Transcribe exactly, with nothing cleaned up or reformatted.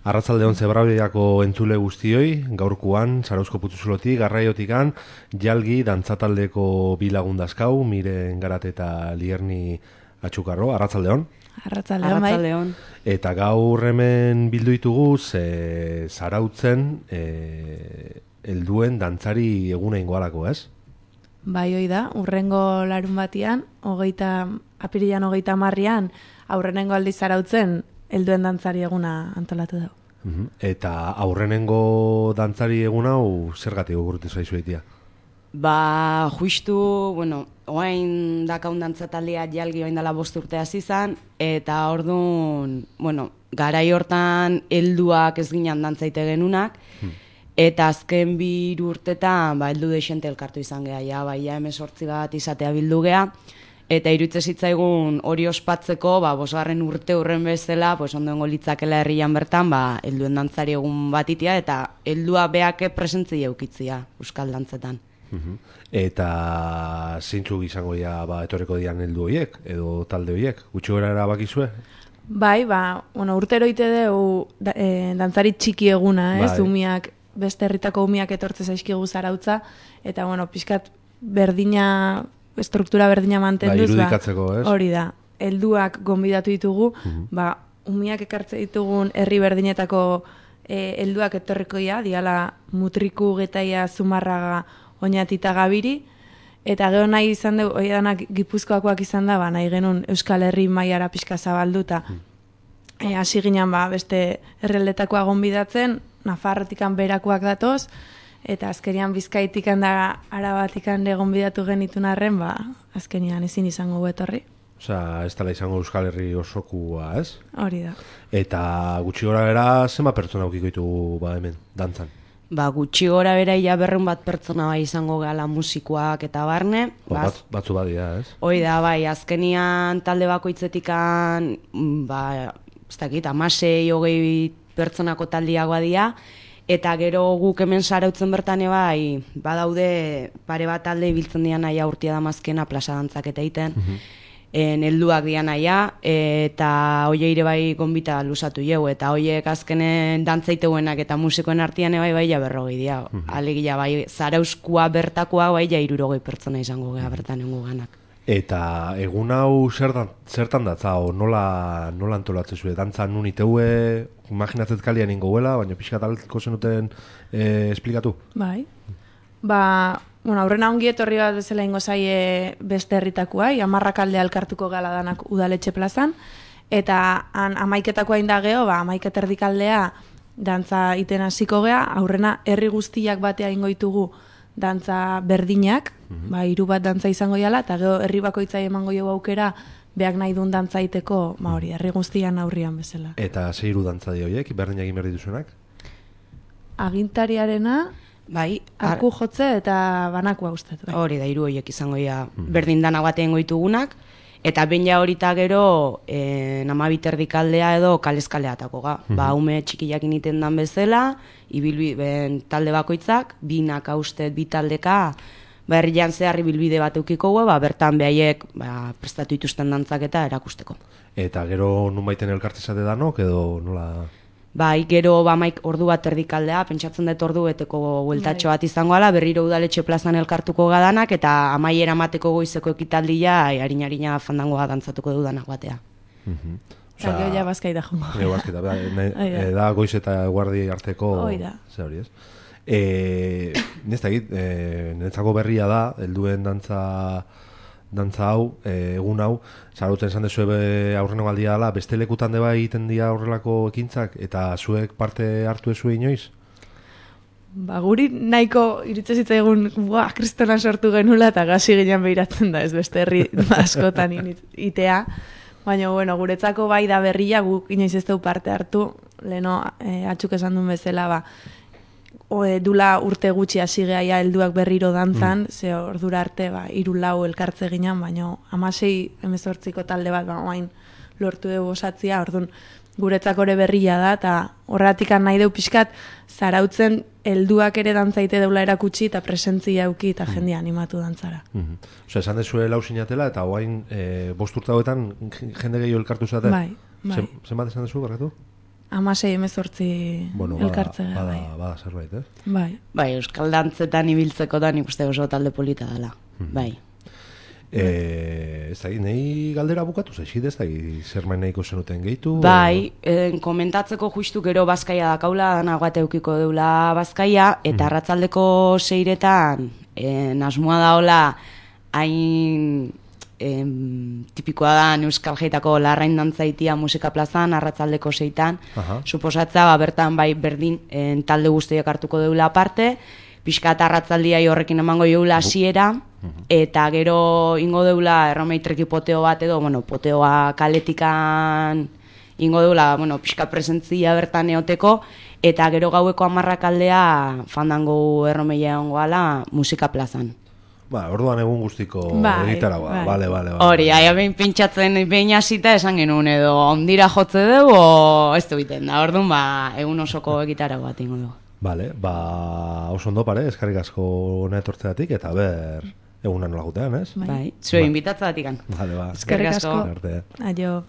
Arratsaldeon Zebrabiako entzule guztioi, gaurkoan Zarauzko Putzuzulotik, Garraiotikan, Jalgi dantzataldeko bi lagun dazkau, Miren Garate eta Lierni Atxukarro. Arratsaldeon. Arratsaldeon, bai. Eta gaur hemen bildu ditugu ze Zarautzen e, helduen dantzari eguna ingoalako, ez? Bai, hoi da, urrengo larun batian, hogeita, apirilan hogeita marrian, aurrenengo aldiz Zarautzen helduen dantzari eguna antolatu dugu. Uh-huh. Eta aurrenengo dantzari egun hau zergatik gurtu zaizu egitea? Ba, justu, bueno, oain dakaun dantzataldea Jalgi oain dela bost urte hasi izan, eta orduan, bueno, garai hortan helduak ez ginen dantzaite genunak, hmm. eta azken bi urtetan, ba, heldu deixente elkartu izan geha, ja, ba, ja hemezortzi bat izatea bildu geha, eta irutze zitzaigun hori ospatzeko, ba, bosgarren urte urren bezala, pues, ondoengo litzakela herrian bertan, ba, helduen dantzari egun batitia, eta heldua beake presentzia eukitzia euskal dantzetan. Uh-huh. Eta zeintzuk izango ja, ba, etorreko dian heldu horiek, edo talde horiek, gutxi gora erabakizue? Bai, ba, bueno, urtero ite dugu da, e, dantzari txiki eguna, ez, bai. Umiak, beste herritako umiak etortze zaizkigu Zarautza, eta, bueno, pixkat berdina, estruktura berdina mantenduz, ba, irudikatzeko, ez? Hori da, helduak gonbidatu ditugu, uh-huh. ba, umiak ekartze ditugun herri berdinetako e, helduak etorrikoia, diala Mutriku, Getaia, Zumarraga, Oñatita, Gabiri, eta gero nahi izan dugu, hori danak Gipuzkoakoak izan da, ba, nahi genuen Euskal Herri mailara pixka zabalduta. Uh-huh. E, hasi ginen, ba, beste herrialdetakoa gonbidatzen, Nafarrotikan berakoak datoz, eta azkenian Bizkaitikan da Arabatikan egon bidatu genitun arren, ba, azkenian ezin izango etorri. Osea, ez dela izango Euskal Herri osokua, ez? Hori da. Eta gutxi gora bera, zenba pertsona aukiko ditugu ba, hemen, dantzan? Ba, gutxi gora bera ia berrun bat pertsona bai izango gala musikoak eta barne. Ba, bat, batzu badia, ez? Hoi da, bai, azkenian talde bakoitzetikan, ba, ez dakit, amasei, hogei pertsonako taldiagoa dira, eta gero guk hemen Zarautzen bertan bai, badaude pare bat talde ibiltzen dian naia urtia damazkena plaza dantzak eta egiten, uh-huh. en helduak dian naia, eta hoie ire bai gonbita luzatu jau, eta hoiek azkenen dantzaiteuenak eta musikoen artean bai bai ja berrogei dia. Uh-huh. Alegia bai, Zarauzkoa bertakoa bai ja hirurogei pertsona izango gea bertan engu ganak. Eta egun hau zertan, zertan datza, o nola, nola antolatzen zuen, dantzan nun iteue, imaginatzet kalian ingoela, baina pixka talko zenuten e, esplikatu? Bai, ba, bueno, aurrena ongi etorri bat bezala ingo zaie beste herritakoa, amarrak aldea elkartuko gala danak udaletxe plazan, eta han amaiketakoa indageo, ba, amaiket erdikaldea dantza iten hasiko gea, aurrena herri guztiak batea ingo ditugu dantza berdinak, uh-huh. ba, hiru bat dantza izango jala, eta gero herri bakoitzai emango jo aukera, beak nahi duen dantza iteko, ba hori, herri guztian aurrian bezala. Eta ze hiru dantza di horiek, berdinak egin behar dituzuenak? Agintariarena, bai, arku jotze eta banakoa ustez. Bai. Hori da, hiru horiek izango ja uh-huh. berdin dana batean goitugunak, eta ben ja horita gero e, namabit erdikaldea edo kalezkaleatako ga. Uh-huh. Ba, ume txikiak initen dan bezala, ibilbide talde bakoitzak, binak haustet, bi taldeka, ba, herrian zehar ibilbide bat eukiko gu, ba, bertan behaiek ba, prestatu ituzten dantzak eta erakusteko. Eta gero nun baiten elkartezate danok edo nola... Bai, gero ba, maik ordu bat erdikaldea, pentsatzen dut ordu beteko bueltatxo bat izango ala, berriro udaletxe plazan elkartuko gadanak, eta amaiera mateko goizeko ekitaldia, harina-harina fandangoa dantzatuko dudanak batea. Uh-huh. Eta gero ja bazkaita jongo. Gero bazkaita, da, da goiz eta guardi arteko... Oida. Ze hori ez? E, Nesta egit, e, netzako berria da, helduen dantza... dantza hau, e, egun hau, Zarautzen esan dezu aurreno baldia dela, beste lekutan deba egiten dira horrelako ekintzak, eta zuek parte hartu ezue inoiz? Ba, guri nahiko iritze zitzaigun, buah, kristonan sortu genula, eta gazi ginen behiratzen da, ez beste herri askotan itea. Baina, bueno, guretzako bai da berria, guk inoiz ez dugu parte hartu, leheno e, atxuk esan duen bezala, ba, O, e, dula urte gutxi hasi geha helduak berriro dantzan, mm. ze ordura arte ba, hiru lau elkartze ginen, baina hamasei hemezortziko talde bat ba, oain lortu dugu osatzia, orduan guretzako ere berria da, eta horretik nahi deu pixkat Zarautzen helduak ere dantzaite deula erakutsi eta presentzia euki eta mm. jendea animatu dantzara. Mm-hmm. Osa, esan dezue lau sinatela eta oain e, bost urte hauetan jende gehiago elkartu zaten? Bai, bai. Zenbat esan dezu, barretu? amasei emezortzi Bueno, bada, elkartzea, bada, bai. bada zerbait, ez? Bai. Bai, euskal dantzetan ibiltzeko da nik uste oso talde polita dela. Bai. E, ez da, nahi galdera bukatu zaizid, ez da, zer main nahiko zenuten gehitu? Bai, eh, komentatzeko justu gero bazkaia dakaula, dana bat eukiko deula bazkaia, eta arratzaldeko seiretan, eh, nasmoa daola, hain em, tipikoa da Euskal Jaitako larrain dantzaitia musika plazan, arratzaldeko seitan, Aha. suposatza, ba, bertan bai berdin en, talde guztiak hartuko deula aparte, pixka eta arratzaldiai horrekin emango joula hasiera, eta gero ingo deula erromeitreki poteo bat edo, bueno, poteoa kaletikan ingo deula, bueno, pixka presentzia bertan eoteko, eta gero gaueko hamarrak aldea fandango erromeia egongo ala musika plazan. Ba, orduan egun guztiko Bai, egitara, ba, bai. bale, bale, bale. Hori, aia behin pintxatzen behin hasita esan genuen edo ondira jotze dugu o ez du biten da, orduan ba, egun osoko egitara bat ingo dugu. Bale, ba, oso ondo pare, eskarrik asko hona etortzeatik, eta ber, egunan nola gutean, ez? Bai, zure inbitatzea datikan. Bale, ba. Eskerrik asko. Arte. Aio.